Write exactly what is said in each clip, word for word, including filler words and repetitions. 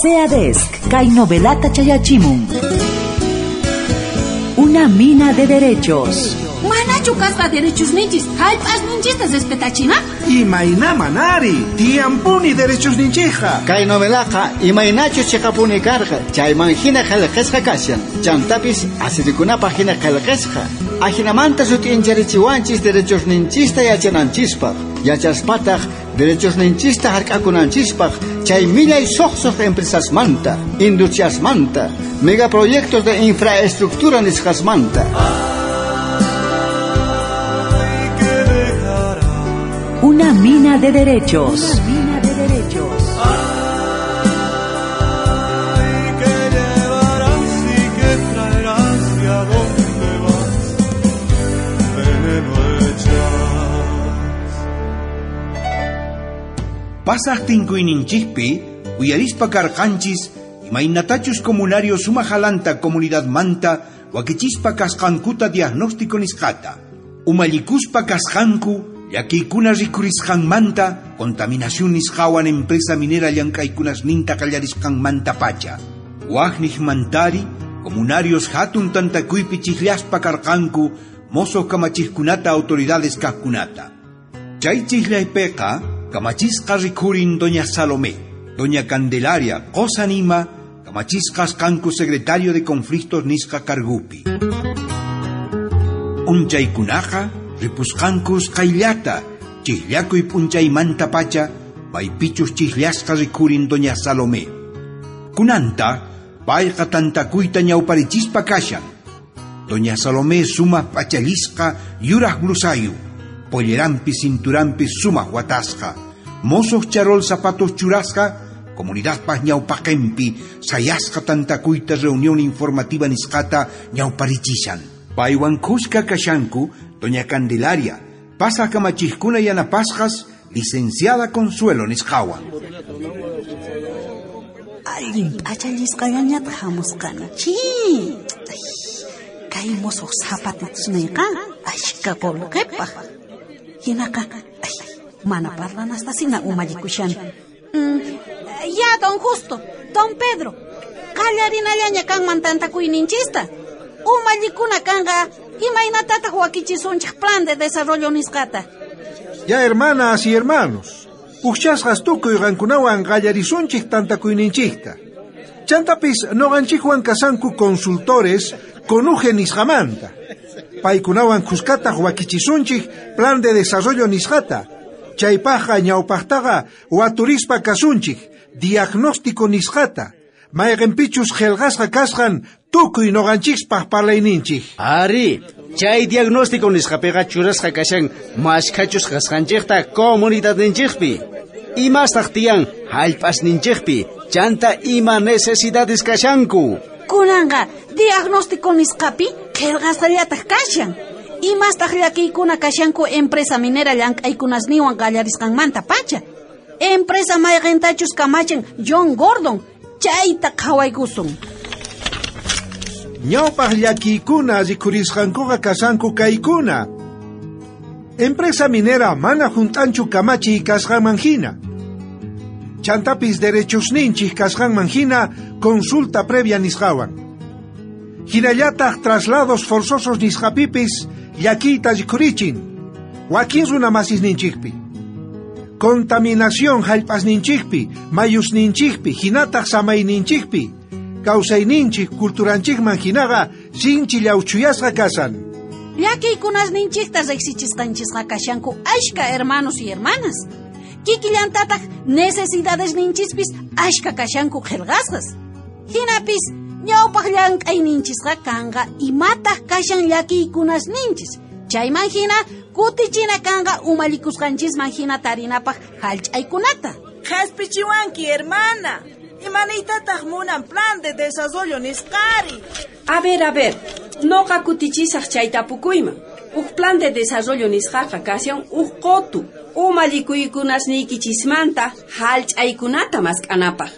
SEADESC, kay novelata chayachimun. Una mina de derechos. Manachu kasqa derechos ninchis, hallp'as ninchista respetachina? Imayna manari, tiyampuni derechos ninchija. Kay novelaqa imaynachu chiqapuni karqa, chayman hina qillqasqa kashan. Chantapis asirikunapaq hina qillqasqa. Ajinamanta sut'incharichiwanchis derechos ninchista yachananchispaq. Yachaspataq derechos ninchista hark'akunanchispaq chay millay suqsuq empresasmanta, industriasmanta, megaproyectos de infraestructura nisqasmanta. Una mina de derechos. Una mina de derechos. Ay, que llevarás y que traerás y a dónde vas, veneno echas. Pasaq tinkuyninchispi, uyarispa karqanchis, imaynatachus comunario sumajalanta comunidadmanta, wakichispa kasqankuta diagnóstico nisqata. Umallikuspa kasqanku, llakiykuna rikurisqanmanta, contaminación nisqawan empresa minera llank'aykunasninta qallarisqanmanta pacha. Waqniqmantari, comunarios hatun tantakuypi chiqllaspa karqanku, mozo kamachijkunata autoridades kaqkunata. Chay chiqllaypiqa, kamachisqa rikurin doña Salomé, doña Candelaria, qosanima, kamachisqas kanku secretario de conflictos nisqa kargupi. Unchaykunaqa, ripusqankus qayllata, chiqllakuy p'unchaymanta pacha, maypichus chiqllasqa rikurin doña Salomé. Kunanta, payqa tantakuyta ñawparichispa kashan. Doña Salomé sumaq p'achallisqa yuraq blusayu, pollerampi cinturampi sumaq watasqa, mosoq charol zapatos churasqa, comunidadpaq ñawpaqinpi sayasqa tantakuyta reunión informativa nisqata ñawparichishan. Paywan kuska kashanku doña Candelaria, pasa kamachijkuna yanapasqas, licenciada Consuelo nisqawan. Allin p'achallisqallañataq hamusqani. Chi! Kay mosoq zapatitusniyqa ashka qullqipaq. Hinaqa, ay, mana parlanastasina umallikushani. Mm, ya, don Justo, don Pedro, qallarinallaña kanman tantakuyninchista. Umallikuna kanqa, imaynatataq wakichisunchik plan de desarrollo nisqata. Ya, hermanas y hermanos, ujchasqas tukuy qankunawan qallarisunchik tantakuyninchikta. Chantapis noqanchikwan kasanku consultores conuje nisqamanta. Paykunawan kuskataq wakichisunchik plan de desarrollo nisqata. Chaypaqqa ñawpaqtaqa waturispa kasunchik diagnóstico nisqata. Mayqinpichus qillqasqa kasqan tukuy noqanchispaq parlayninchik. Ari, chay diagnóstico nisqapiqa churasqa kashan mashkhachus kasqanchikta comunidadninchikpi. Imastaq tiyan hallp'asninchikpi, chanta ima necesidades kashanku. Kunanqa diagnóstico nisqapi qillqasqallataq kashan. Imastaq llakiykuna kashanku empresa minera llank'aykunasniwan qallarisqanmanta pacha. Empresa mayqintachus kamachin John Gordon, chayta qhawaykusun. Ñawpaq llakiykuna rikurisqankuqa kasanku kaykuna. Empresa minera mana junt'anchu kamachiy kasqanman hina. Chantapis derechosninchik kasqanman hina consulta previa nisqawan. Hinallataq traslados forzosos nisqapipis llakiyta rikurichin. Wakin runa masisninchikpi. Contaminación hallp'asninchikpi, mayusninchikpi, hinataq samayninchikpi. Kawsayninchik culturanchikman hinaqa sinchi llawchuyasqa kasan. Llakiykunasninchikta riqsichisqanchisqa kashanku ashka hermanos y hermanas. Kikillantataq necesidades ninchispis ashka kashanku qillqasqas. Hinapis ñawpaq llank'ayninchisqa kanqa imataq kashan llakiykunasninchis. Chayman hina kutichina kanqa umallikusqanchisman hina tarinapaq hallch'aykunata. Qhaspichiwanki, hermana. Imaniytataq munan plan de desarrollo nisqari. A ver, a ver, noqa kutichisaq chay tapukuyman. Uj plan de desarrollo nisqaqa kashan uj qotu. Umallikuykunasniykichismanta hallch'aykunata mask'anapaq.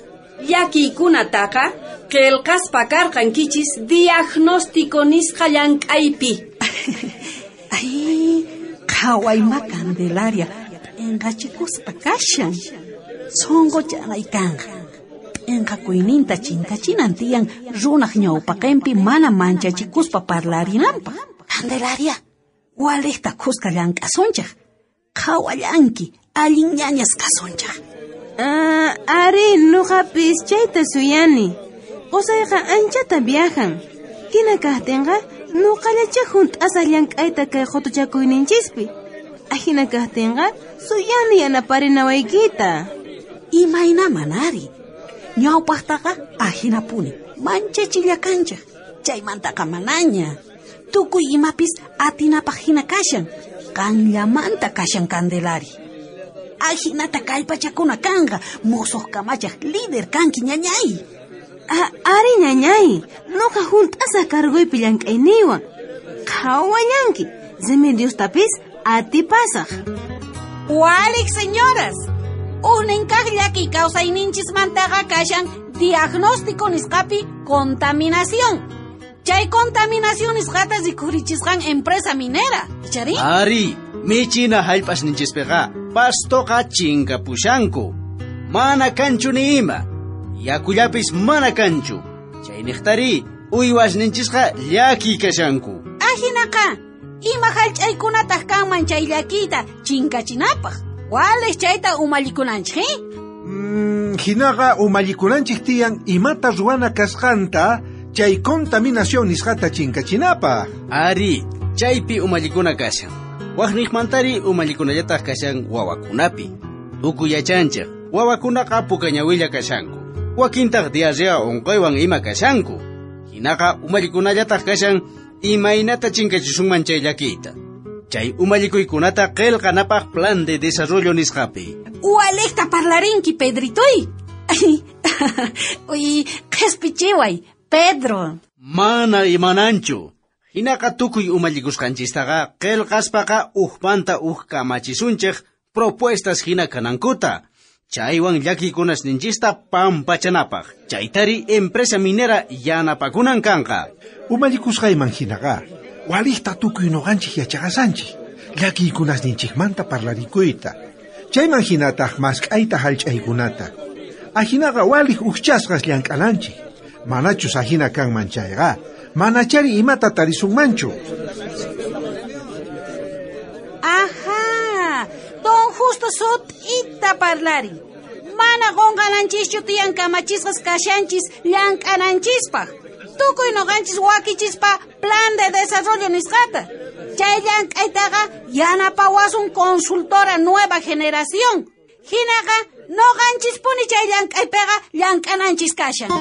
Llakiykunataqa qillqaspa karqankichis diagnóstico nisqa llank'aypi. Ay, qhawayma Candelaria, p'inqachikuspa kashan. Sunquchanay kanqa. p'inqakuyninta chinkachinan tiyan runaj ñawpaqinpi mana manchachikuspa parlarinanpaq. Candelaria, waliqta khuska llank'asunchaq. Qhawallanki, allin ñañas kasunchaq. Ah, ari, nuqapis chayta suyani. Qusayqa anchata viajan. Hina kaqtinqa nuqallacha hunt'asaq llank'ayta kay qutuchakuyninchispi. Ahina kaqtinqa suyani yanaparinawaykita. Imaynaman ari. Ñawpaqtaqa ahinapuni, manchachillakanchaq. Chaymantaqa manaña. Tukuy imapis atinapaq hina kashan. Qanllamanta kashan Candelari. Ahinata kallpachakuna kanqa, musuq kamachaq líder kanki ñañay. Ah, ari ñañay, nuqa hunt'asaq cargoypi llank'ayniywan. Qhawallanki, Remediostapis atipasaq. Walik, señoras. Ujnin kaq llakiy kawsayninchismantaqa kashan diagnóstico nisqapi contaminación. Chay contaminación nisqata rikhurichisqan empresa minera, ichari? Ari, michina hallp'asninchispiqa pastoqa chinkapushanku. Mana kanchu ni ima. Yakullapis mana kanchu. Chayniqtari uywasninchisqa llakiy kashanku. Ajinaqa, ima hallch'aykunataq kanman chay llakiyta chinkachinapaq. Waliq chayta umallikunanchik, eh? Mm, hinaqa umallikunanchik tiyan imata ruwana kasqanta chay contaminación nisqata chinkachinapaq. Ari, chaypi umallikuna kashan. Waqniqmantari umallikunallataq kashan wawakunapi. Tukuy yachanchik, wawakunaqa pukañawilla kashanku. Wakintaq diarrea unquywan ima kashanku. Hinaqa umallikunallataq kashan imaynata chinkachisunman chay llakiyta. Chay umallikuykunata qillqanapaq plan de desarrollo nisqapi. Waliqta parlarinki, Pedritoy. Uy, qhispichiway, Pedro. Mana imananchu. Hinaqa tukuy umallikusqanchistaqa qillqaspaqa ujmanta uj kamachisunchik propuestas hina kanankuta. Chaywan llakikunasninchista pampachanapaq. Chaytari empresa minera yanapakunan kanqa. Umallikusqayman hinaqa waliqta tukuy nuqanchik yachaqasanchik. Llakiykunasninchikmanta parlarikuyta. Chayman hinataq mask'ayta hallch'aykunata. Ahinaqa waliq ujchasqas llank'ananchik. Manachus ahina kanman chayqa, manachari imata tarisunmanchu. Ajá, don Justo sut'ita parlarin. Mana qunqananchischu tiyan kamachisqas kashanchis llank'ananchispaq. Tukuy nuqanchis wakichispa plan de desarrollo nisqata. Chay llank'aytaqa yanapawasun consultora nueva generación. Hinaqa nuqanchispuni chay llank'aypiqa llank'ananchis kashan.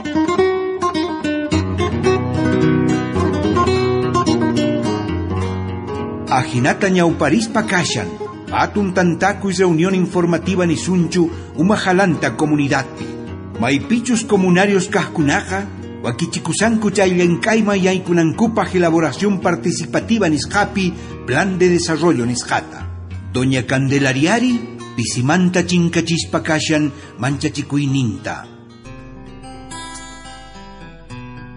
Ajinata ñawparispa kashan, hatun tantakuy reunión informativa nisunchu umajalanta comunidadpi. Maypichus comunarios kajkunaqa, wakichikusanku chay llank'ayman yaykunankupaq elaboración participativa nisqapi plan de desarrollo nisqata. Doña Candelariari pisimanta chinkachispa kashan manchachikuyninta.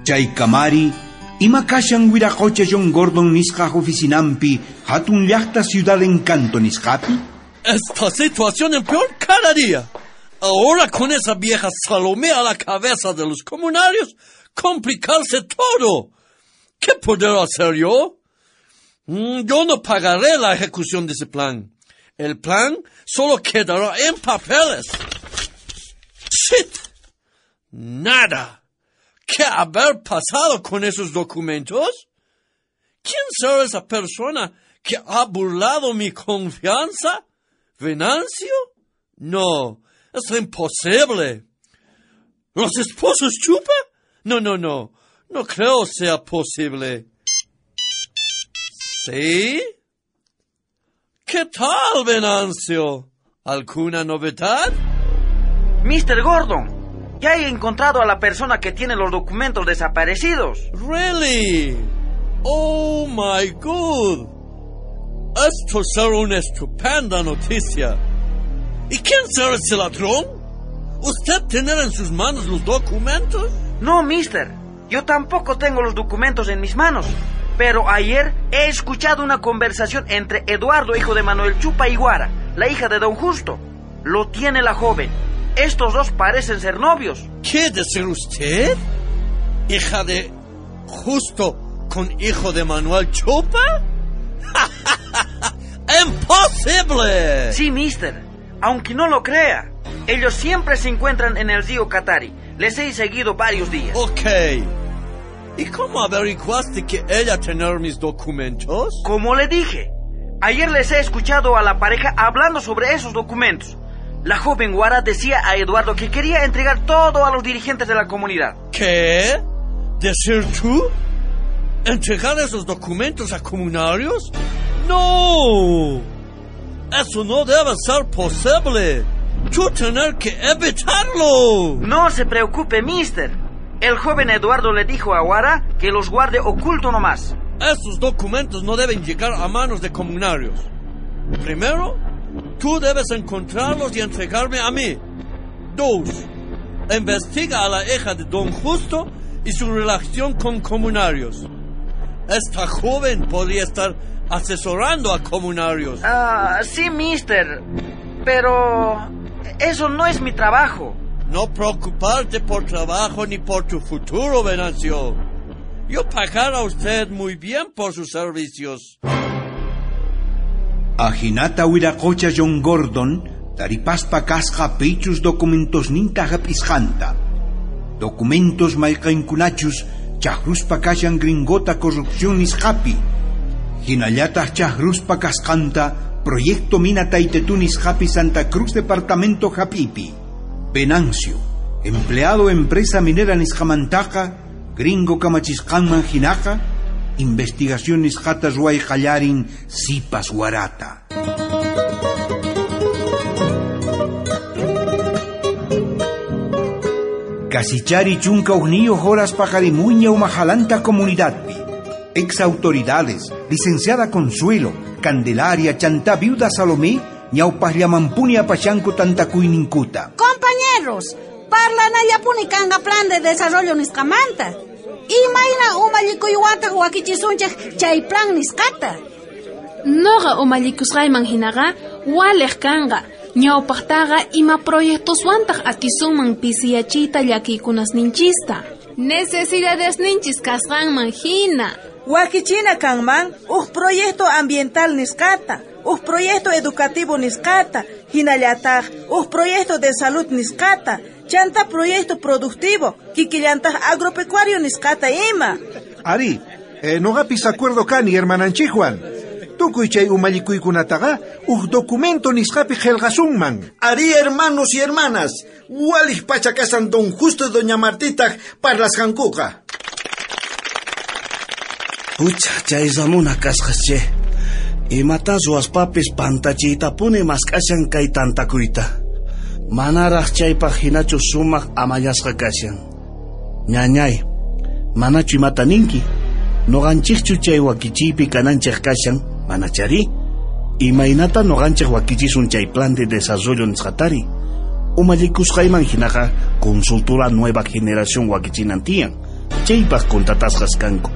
Chay kamari ima kashan wiraqocha John Gordon nisqa oficinampi hatun llaqta Ciudad Encanto nisqapi? Esta situación empeora cada día. Ahora con esa vieja Salomé a la cabeza de los comunarios, complicarse todo. ¿Qué podré hacer yo? Yo no pagaré la ejecución de ese plan. El plan solo quedará en papeles. ¡Shit! Nada. ¿Qué haber pasado con esos documentos? ¿Quién será esa persona que ha burlado mi confianza? ¿Venancio? No, es imposible. ¿Los esposos Chupa? No, no, no. No creo sea posible. ¿Sí? ¿Qué tal, Venancio? ¿Alguna novedad? mister Gordon, ya he encontrado a la persona que tiene los documentos desaparecidos. Really? Oh, my God. Esto será una estupenda noticia. ¿Y quién será ese ladrón? ¿Usted tiene en sus manos los documentos? No, mister. Yo tampoco tengo los documentos en mis manos. Pero ayer he escuchado una conversación entre Eduardo, hijo de Manuel Chupa y Guara, la hija de don Justo. Lo tiene la joven. Estos dos parecen ser novios. ¿Qué decir usted? ¿Hija de Justo con hijo de Manuel Chupa? ¡Imposible! Sí, mister. Aunque no lo crea. Ellos siempre se encuentran en el río Katari. Les he seguido varios días. Ok. ¿Y cómo averiguaste que ella tenía mis documentos? Como le dije, ayer les he escuchado a la pareja hablando sobre esos documentos. La joven Guara decía a Eduardo que quería entregar todo a los dirigentes de la comunidad. ¿Qué? ¿Decir tú? ¿Entregar esos documentos a comunarios? ¡No! Eso no debe ser posible. Tú tener que evitarlo. No se preocupe, mister. El joven Eduardo le dijo a Guara que los guarde oculto nomás. Esos documentos no deben llegar a manos de comunarios. Primero, tú debes encontrarlos y entregarme a mí. Dos, investiga a la hija de Don Justo y su relación con comunarios. Esta joven podría estar asesorando a comunarios. Ah, sí, mister. Pero eso no es mi trabajo. No preocuparte por trabajo ni por tu futuro, Venancio. Yo pagaré a usted muy bien por sus servicios. Ajinata wiraqocha John Gordon taripaspa kasqa pichus documentos ninta hap'isqanta. Documentos mayqinkunachus chaqruspa kashan gringota corrupción nisqapi. Hinallataq chaqruspa kasqanta Proyecto Mina Taytetu nisqapi Santa Cruz Departamento Hapipi. Venancio, empleado empresa minera nisqamantaqa, gringo kamachisqanman hinaqa, investigación nisqata ruway qallarin sipas warata. Kasichari chunka hukniyuq horas paqarimuña umajalanta comunidadpi. Ex autoridades, licenciada Consuelo, Candelaria, Chantá, viuda Salomé, ñawpaqllamampuni apashanku tantakuyninkuta. Compañeros, parlanallapuni kanqa plan de desarrollo nisqamanta. Imayna umallikuywantaj wakichisunchej chay plan nisqata. Noqa umallikusqayman hinaqa waliq kanqa. Ñawpaqtaqa ima proyectoswantaq atisunman pisiyachiyta llakiykunasninchista. Necesidadesninchis kasqanman hina. Wakichina kanman uj proyecto ambiental nisqata, uj proyecto educativo nisqata, hinallataq uj proyecto de salud nisqata, chanta proyecto productivo, kikillantaq agropecuario nisqata ima. Ari, eh, noqapis acuerdo kani hermananchikwan. Tukuy chay umallikuykunataqa uj documento nisqapi qillqasunman. Ari, hermanos y hermanas, waliq pacha kasan Don Justo y Doña Martitaq parlasqankuqa. Pucha, chay Ramona kasqas che. Imata ruwaspapis pantachiytapuni mask'ashan kay tantakuyta. Manaraq chaypaq hinachu sumaq amallasqa kashan. Ñañay, manachu imata ninki? Noqanchikchu chay wakichiypi kananchik kashan, manachari? Imaynata noqanchik wakichisun chay plan de desarrollo nisqatari? Umallikusqayman hinaqa consultora nueva generación wakichinan tiyan. Chaypaq contratasqas kanku.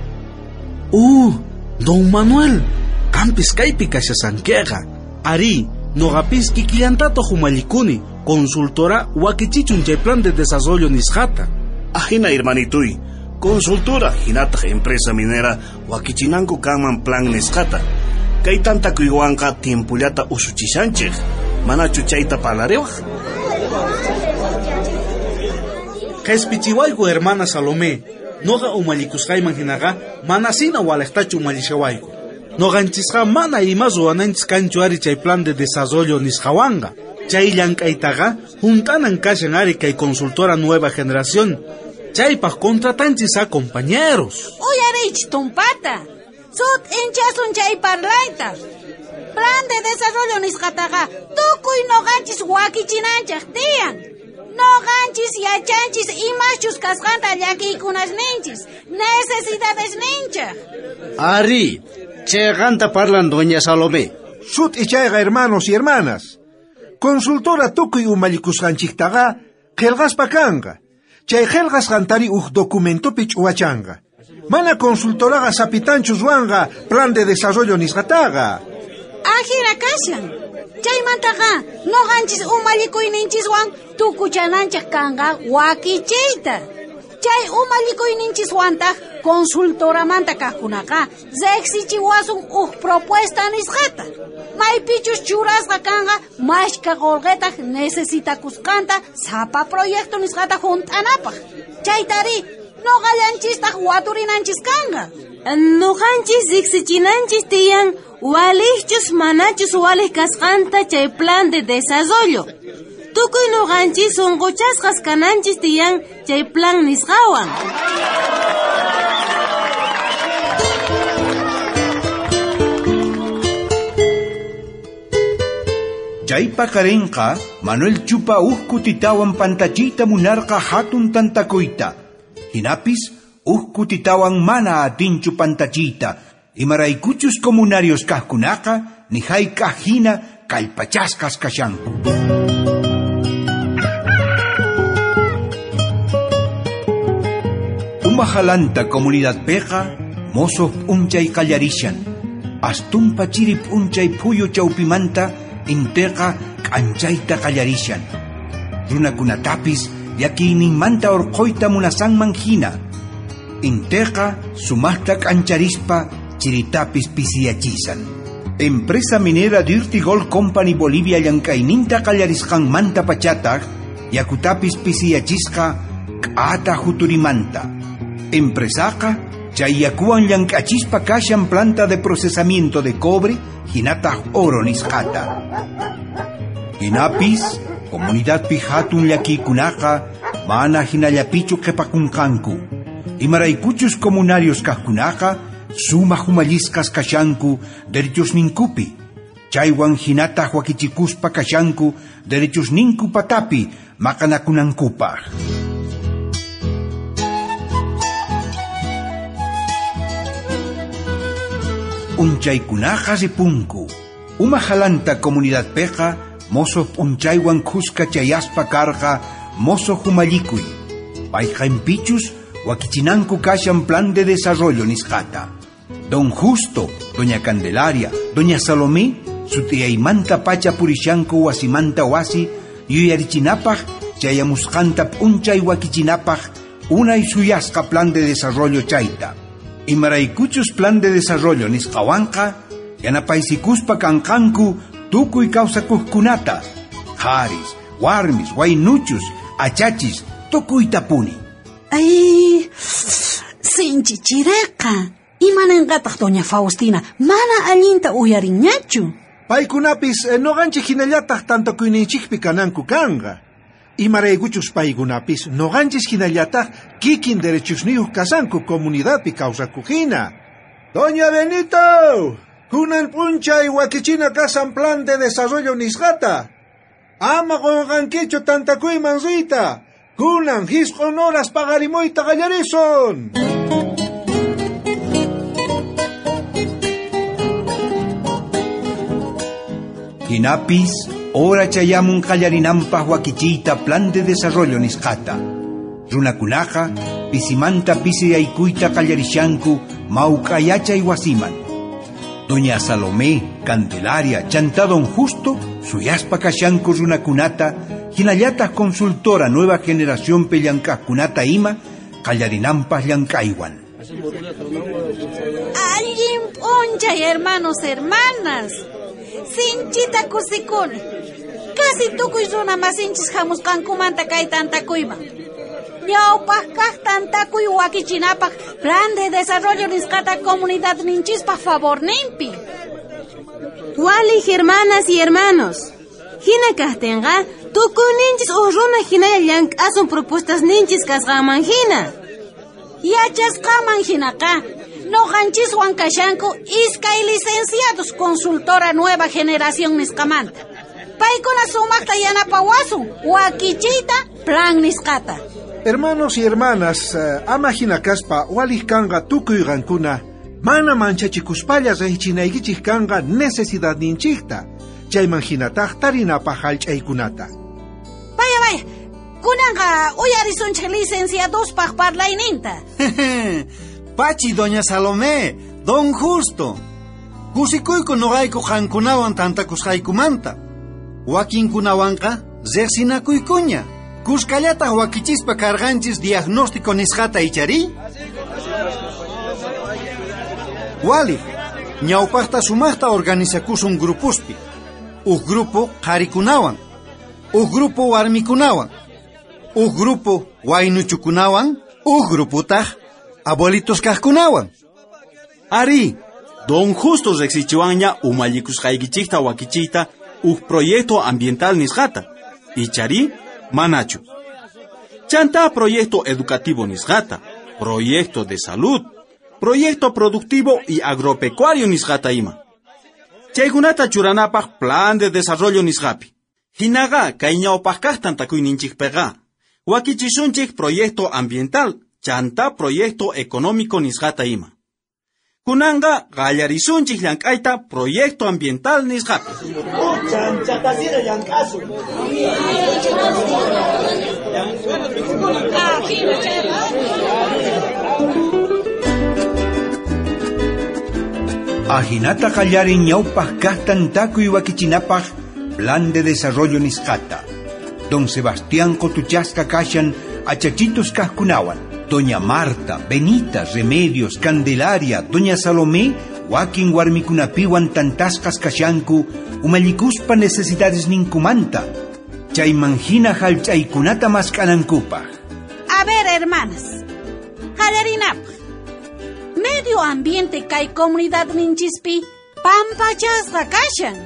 Uh, Don Manuel, qampis kaypi kashasankiqa. Ari, noqapis kikillantataq umallikuni, consultora wakichichun chay plan de desarrollo nisqata. Ajina hermanituy, consultora hinataq empresa minera wakichinanku kanman plan nisqata. Kay tantakuywanqa tiempullata usuchishanchik. Manachu chayta parlariwaq? Qhispichiwayku hermana Salomé. Noqa umallikusqayman hinaqa manasina waliqtachu umallishawayku. Noqanchisqa mana ima ruwananchis kanchu ari chay plan de desarrollo nisqawanqa. Chay llank'aytaqa hunt'anan kashan ari kay consultora nueva generación. Chaypaq contratanchis a compañeros. Uyariychis tumpata. Sut'inchasun chay parlayta. Plan de desarrollo nisqataqa tukuy noqanchis wakichinanchik tiyan. Noqanchis yachanchis imaschus kasqanta llakiykunasninchis, necesidadesninchik. Ari, chayqanta parlan doña Salomé. Sut'ichayqa hermanos y hermanas. Consultora tukuy umallikusqanchiktaqa qillqaspa kanqa. Chay qillqasqantari uj documentopi ch'uwachanqa. Mana consultoraqa sapitanchu ruwanqa plan de desarrollo nisqataqa. Ajina kashan. Chaymantaqa noqanchis umallikuyninchiswan tukuchananchik kanqa wakichiyta. Chay umallikuyninchiswantaq consultoramanta kaqkunaqa riqsichiwasun uj propuesta nisqata. Maypichus churasqa kanqa mashka qolqetaq necesitakusqanta sapa proyecto nisqata junt'anapaq. Chaytari noqallanchistaq waturinanchis kanqa. Noqanchis riqsichinanchis tiyan waliqchus manachus waliq kasqanta chay plan de desarrollo. Tukuy noqanchis sunquchasqas kananchis tiyan chay plan nisqawan. Chay paqarinqa Manuel Chupa uj kutitawan pantachiyta munarqa hatun tantakuyta. Hinapis uj kutitawan mana atinchu pantachiyta. Imaraykuchus comunarios kaqkunaqa ni hayk'aq hina kallpachasqas kashanku. Umajalanta comunidadpiqa mosoq p'unchay qallarishan. Astumpa chiri p'unchay phuyu chawpimanta inteqa k'anchayta qallarishan. Runakunatapis llakiyninmanta urquyta munasanman hina. Inteqa sumaqta k'ancharispa chiritapis pisiyachisan. Empresa minera Dirty Gold Company Bolivia llank'ayninta qallarisqanmanta pachataq yakutapis pisiyachisqa k'ata juturimanta. Empresaqa chay yakuwan llank'achispa kashan planta de procesamiento de cobre hinataq oro nisqata. Hinapis comunidadpi hatun llakiykunaqa mana hinallapichu qhipakunqanku. Imaraykuchus comunarios kaqkunaqa sumaq umallisqas kashanku derechosninkupi. Chaywan hinataq wakichikuspa kashanku derechosninku patapi maqanakunankupaq. Unchaykunaqa ripunku. Umajalanta comunidadpiqa mosoq p'unchaywan khuska chayaspa karqa mosoq umallikuy. Payqanpichus wakichinanku kashan plan de desarrollo nisqata. Don Justo, Doña Candelaria, Doña Salomé, sutiyaymanta pacha purishanku wasimanta wasi, yuyarichinapaq chayamusqanta p'unchay wakichinapaq unay suyasqa plan de desarrollo chayta. Imaraykuchus plan de desarrollo nisqawanqa yanapaysikuspa kanqanku tukuy kawsakuqkunata, qharis, warmis, waynuchus, achachis, tukuytapuni. Ay, sinchi chireqa. Imananqataq Doña Faustina mana allinta uyarinñachu. Paykunapis eh, noqanchik hinallataq tantakuyninchikpi kananku kanqa. Imaraykuchus paykunapis noqanchis hinallataq kikin derechusniyuq kasanku comunidadpi kawsakuqhina. Doña Benito, kunan p'unchay wakichina kasan plan de desarrollo nisqata. Ama qunqankichu tantakuyman riyta. Kunan hisq'un horas paqarimuyta qallarisun. Hinapis hora chayamun qallarinanpaq wakichiyta plan de desarrollo nisqata. Runakunaqa pisimanta pisiyaykuyta qallarishanku mawk'a yachay wasiman. Doña Salomé, Candelaria, chantá Don Justo suyaspa kashanku runakunata hinallataq consultora nueva generación llank'aqkunata ima qallarinanpaq llank'aywan. Allin p'unchay, hermanos, hermanas. Sinchita kusikuni. Casi tukuy runa masinchis hamusqankumanta kay tantakuyman. Ñawpaq kaq tantakuy wakichinapaq plan de desarrollo nisqata comunidadninchispaq favorninpi. Waliq hermanas y hermanos. Hina kaqtinqa tukuyninchis uj runa hinalla llank'asun propuestasninchis kasqanman hina. Yachasqanman hinaqa noqanchiswan kashanku iskay licenciados consultora nueva generación nisqamanta. Paykuna sumaqta yanapawasun wakichiyta plan nisqata. Hermanos y hermanas, uh, ama hina kaspa waliq kanqa tukuy qankuna mana manchachikuspalla riqchinaykichik kanqa necesidadninchikta. Chayman hinataq tarinapaq hallch'aykunata. Vaya, vaya. Kunanqa uyarisunchik licenciadospaq parlayninta. Pachi, Doña Salomé, Don Justo. Kusikuyku noqayku qankunawan tantakusqaykumanta. Wakinkunawanqa riqsinakuykuña. Kuskallataq wakichispa karqanchis diagnóstico nisqata ichari? Wali, ñawpaqta sumaqta organizakusun grupuspi. Uj grupo qharikunawan, uj grupo warmikunawan, uj grupo waynuchukunawan, uj gruputaq abuelitos kaqkunawan. Ari, don Justo riqsichiwanña umallikusqaykichikta wakichiyta uj proyecto ambiental nisqata. Ichari, manachu. Chanta proyecto educativo nisqata, proyecto de salud, proyecto productivo y agropecuario nisqata ima. Chaykunata churanapaq plan de desarrollo nisqapi. Hinaqa kay ñawpaq kaq tantakuyninchikpiqa wakichisunchik proyecto ambiental, chanta proyecto económico nisqata ima. Kunanqa qallarisunchik llank'ayta proyecto ambiental nisqapi. Ajinata qallarin ñawpaq kaq tantakuy wakichinapaq plan de desarrollo nisqata. Don Sebastián qotuchasqa kashan achachitos kaqkunawan. Doña Marta, Benita, Remedios, Candelaria, Doña Salomé, wakin warmikunapiwan tantasqas kashanku umallikuspa necesidades ninkumanta. Chayman hina hallch'aykunata mask'anankupaq. A ver, hermanas, qallarinapaq. Medio ambiente kay comunidad ninchispi pampachasqa kashan.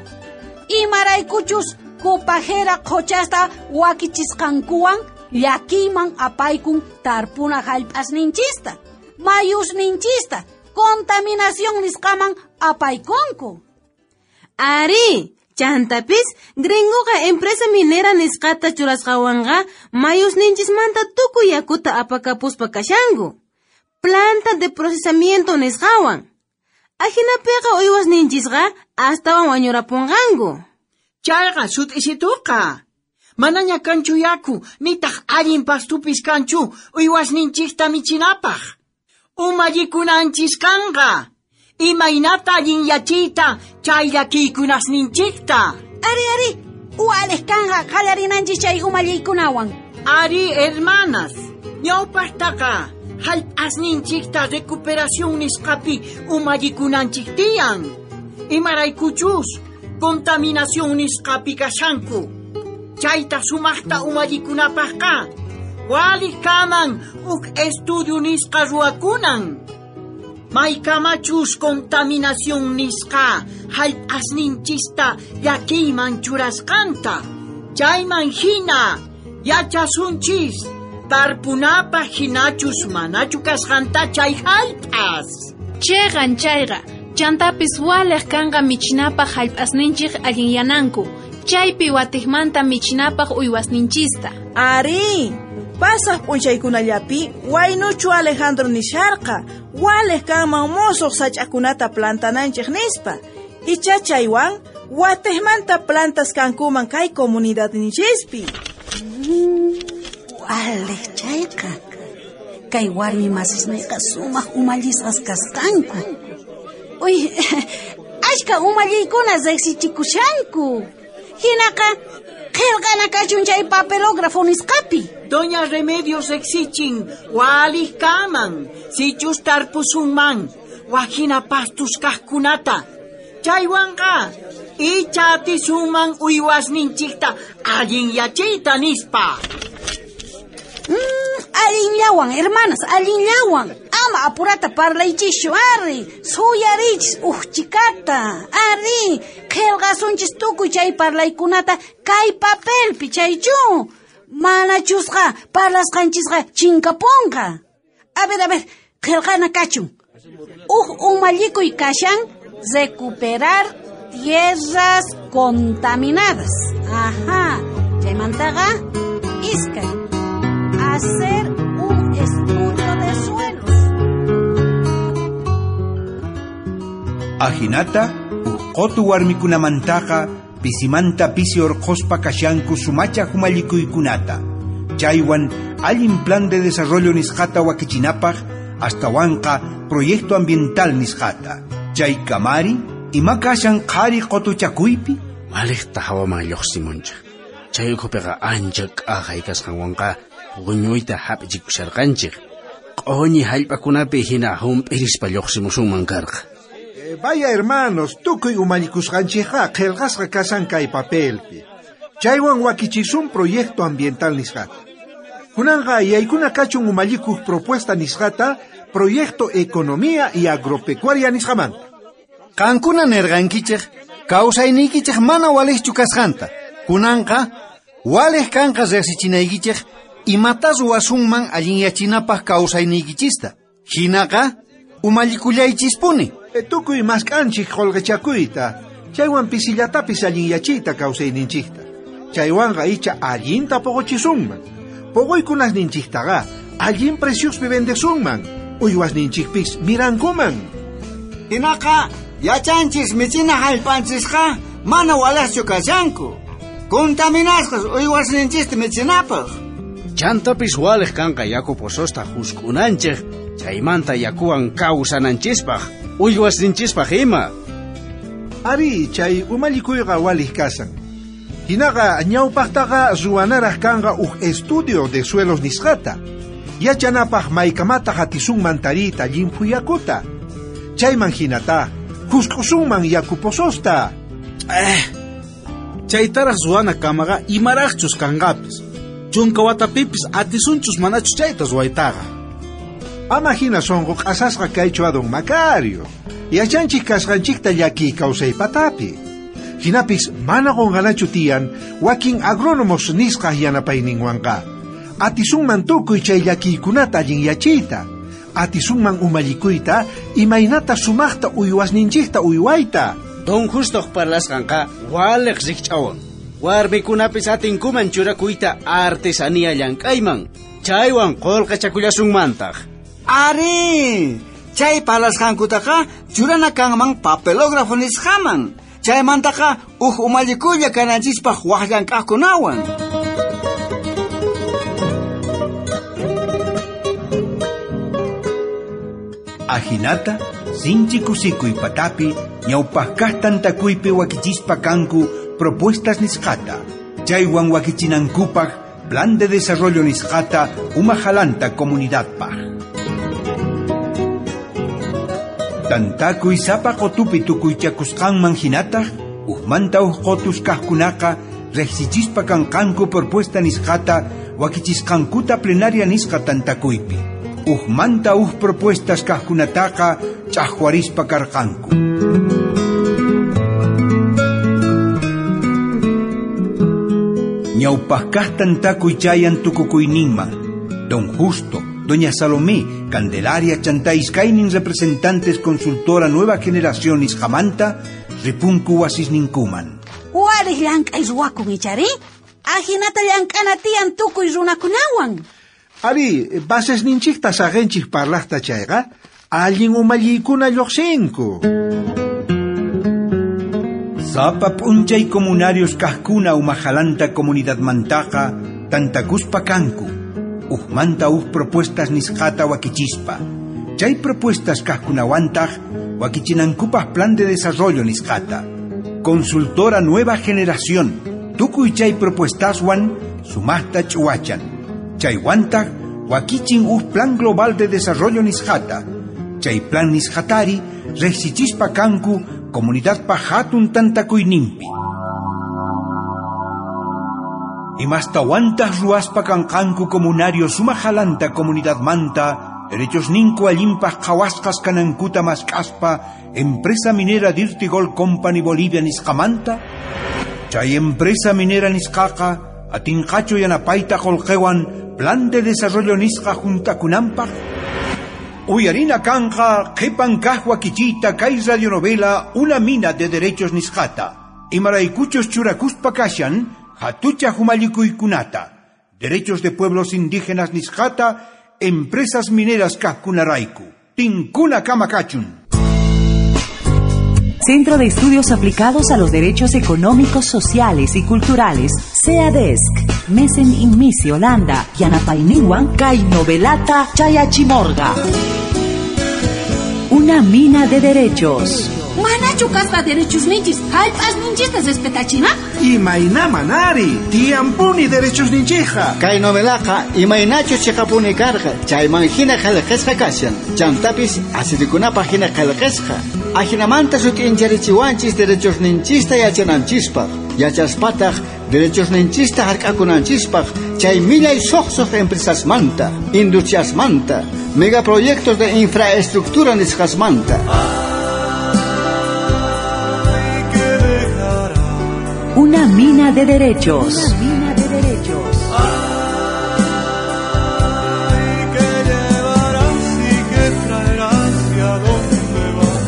Imaraykuchus kupajera qhuchasta wakichisqankuwan llakiyman apaykun tarpuna hallp'asninchista, mayusninchista, contaminación nisqaman apaykunku. Ari, chantapis gringoqa empresa minera nisqata churasqawanqa mayusninchismanta tukuy yakuta apakapuspa kashanku. Planta de procesamiento nisqawan. Ajinapiqa uywasninchisqa astawan wañurapunqanku. Chayqa sut'isituqa. Manaña kanchu yaku, nitaq allin pastupis kanchu uywasninchikta michinapaq. Umallikunanchis kanqa. Imaynata allinyachiyta chay llakiykunasninchikta. Ari, ari, waliq kanqa qallarinanchis chay umalliykunawan. Ari, hermanas, ñawpaqtaqa hallp'asninchikta recuperación nisqapi umallikunanchik tiyan. Imaraykuchus contaminación nisqapi kashanku. Chayta sumaqta umallikunapaqqa waliq kaman huk estudio nisqa ruwakunan. Maykamachus contaminación nisqa hallp'asninchista llakiyman churasqanta. Chayman hina yachasunchis tarpunapaq hinachus manachu kasqanta chay hallp'as. Chiqan chayqa, chantapis waliq kanqa michinapaq hallp'asninchik allinyananku. Chaypi watiqmanta michinapaq uywasninchista. Ari, pasaq p'unchaykunallapi waynuchu Alejandro nisharqa, waliq kanman musuq sach'akunata plantananchik nispa. Icha chaywan watiqmanta plantas kankuman kay comunidadninchispi. Waliq chayqa, kay warmi masisniyqa sumaq umallisqas kasqanku. Uy, ashka umalliykuna riqsichikushanku. Hinaqa qillqana kachun chay papelógrafo nisqapi. Doña Remedios riqsichin waliq kaman, sichus tarpusunman, wajina pastus kaqkunata. Chaywanqa icha atisunman uywasninchikta allinyachiyta nispa. Mm, allinllawan, hermanas, allinllawan. Ama apurata parlaychischu, ari, suyarichis uqchikata, ari, qillqasunchis tukuy chay parlaykunata kay papelpi chaychu. Manachusqa parlasqanchisqa chinkapunqa. A ver, a ver, qillqana kachun. Uj umallikuy kashan recuperar tierras contaminadas. Ajá, chaymantaqa iskay. Hacer un estudio de suelos. Ajinata, uj qotu warmikunamantaqa pisimanta pisi orqospa kashanku sumacha humallikuykunata. Chaywan allin plan de desarrollo nisqata wakichinapaq astawanqa proyecto ambiental nisqata. Chay kamari Ima kashan qhari qotuchakuypi? Waliqta hawaman lluqsimunchik. Chay ukhupiqa ancha k'ajay kasqanwanqa puñuyta hap'ichikusharqanchik. Q'uñi hallp'akunapi hina hump'irispa lluqsimusunman karqa. Eh, vaya hermanos, tukuy umallikusqanchikqa qillqasqa kasan kay papelpi. Chaywan wakichisun proyecto ambiental nisqata. Kunanqa yaykuna kachun umallikuq propuesta nisqata proyecto economía y agropecuaria nisqamanta. Qankuna nirqankichik kawsayniykichik mana waliqchu kasqanta. Kunanqa waliq kanqa riqsichinaykichik imata ruwasunman allinyachinapaq kawsayniykichista. Hinaqa umallikullaychispuni. E, tukuy mask'anchik qullqichakuyta, chaywan pisillatapis allinyachiyta kawsayninchikta. Chaywanqa icha allinta puquchisunman. Puquykunasninchiktaqa allin preciospi vendesunman. Uywasninchikpis mirankuman. Hinaqa yachanchis michina hallp'anchisqa mana waliqchu kashanku. Contaminasqas uywasninchista michinapaq. Chantapis waliq kanqa yaku pozosta husk'unanchik, chaymanta yakuwan kawsananchispaq, uywasninchispaq ima. Ari, chay umallikuyqa waliq kasan. Hinaqa ñawpaqtaqa ruwanaraq kanqa uj estudio de suelos nisqata. Yachanapaq maykamata hatisunman tariyta llimphu yakuta. Chayman hinata husk'usunman yaku pozosta. Eh, chaytaraq ruwana kamaqa imaraqchus kanqapis. Chunka watapipis atisunchus manachus chayta ruwaytaqa. Ama hina sunqu q'asasqa kaychu a don Macario. Yachanchik kasqanchikta llakiy kawsaypatapi. Hinapis mana qunqanachu tiyan wakin agrónomos nisqa yanapayninwanqa. Atisunman tukuy chay llakiykunata allinyachiyta. Atisunman umallikuyta imaynata sumaqta uywasninchikta uywayta. Don Justoq parlasqanqa waliq rikch'awan. Warmikunapis atinkuman churakuyta artesanía llank'ayman. Chaywan qullqichakullasunmantaq. Ari, chay parlasqankutaqa churana kanman papelógrafo nisqaman. Chaymantaqa uj umallikulla kananchispaq waj llank'aqkunawan. Ajinata, sinchi kusikuy patapi, ñawpaqkaq tantakuypi wakichispa kanku propuestas nisqata. Chaywan wakichinankupaq plan de desarrollo nisqata umajalanta comunidadpaq. Tantakuy sapa qotupi tukuychakusqanman hinataq, ujmanta uj qotus kaqkunaqa riqsichispa kanqanku propuesta nisqata wakichisqankuta plenaria nisqa tantakuypi. Ujmanta uj propuestas kaqkunataqa ch'aqwarispa karqanku. Ñawpaqkaq tantakuy chayan tukukuyninman. Don Justo, Doña Salomé, Candelaria chantá iskaynin representantes consultora Nueva Generación nisqamanta ripunku wasisninkuman. Waliq llank'ay ruwakun ichari? Ahinata llank'ana tiyan tukuy runakunawan. Ari, basesninchikta saqenchik parlaqta chayqa, allin umalliykuna lluqsinku. Sapa p'unchay comunarios kaqkuna umajalanta comunidadmantaqa tantakuspa kanku. Ujmanta uj propuestas nisqata wakichispa. Chay propuestas kaqkunawantaq wakichinankupaq plan de desarrollo nisqata. Consultora Nueva Generación, tukuy chay propuestaswan sumaqta ch'uwachan. Chaywantaq wakichin uj plan global de desarrollo nisqata. Chay plan nisqatari riqsichispa kanku comunidadpa hatun tantakuyninpi. Imastawantaq ruwaspa kanqanku comunario sumajalanta comunidadmanta derechos ninku allinpaq qhawasqas kanankuta mask'aspa empresa minera Dirty Gold Company Bolivia nisqamanta. Chay empresa minera nisqaqa atinqachu yanapayta qullqiwan plan de desarrollo nisqa juntakunanpaq. Uyarina kanqa qhipan kaq wakichiyta kay radionovela Una mina de derechos nisqata. Imaraykuchus churakuspa kashan hatucha humallikuykunata. Derechos de pueblos indígenas nisqata empresas mineras kaqkunarayku. Tinkuna kamakachun. Centro de Estudios Aplicados a los Derechos Económicos, Sociales y Culturales, CEADESC, Mesen Inmisi, Holanda, Yanapayniwan, Kay Novelata, Chayachimorga. Una mina de derechos. Manachu kasqa derechosninchis hallp'asninchista respetachinapaq? Imayna manari, tiyanpuni derechosninchikqa. Kay novelaqa imaynachus chiqapuni karqa, chayman hina qillqasqa kashan. Chantapis asirikunapaq hina qillqasqa. Ajinamanta sut'incharichiwanchis derechosninchista yachananchispaq. Yachaspataq derechosninchista hark'akunanchispaq chay millay suqsuq empresasmanta, industriasmanta, megaproyectos de infraestructura nisqasmanta. Una mina de derechos. Una mina de derechos. Ay, ¿qué llevarás y qué traerás y a dónde vas?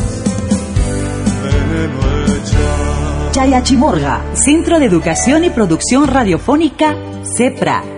Veneno echas. Chayachimorga, Centro de Educación y Producción Radiofónica, CEPRA.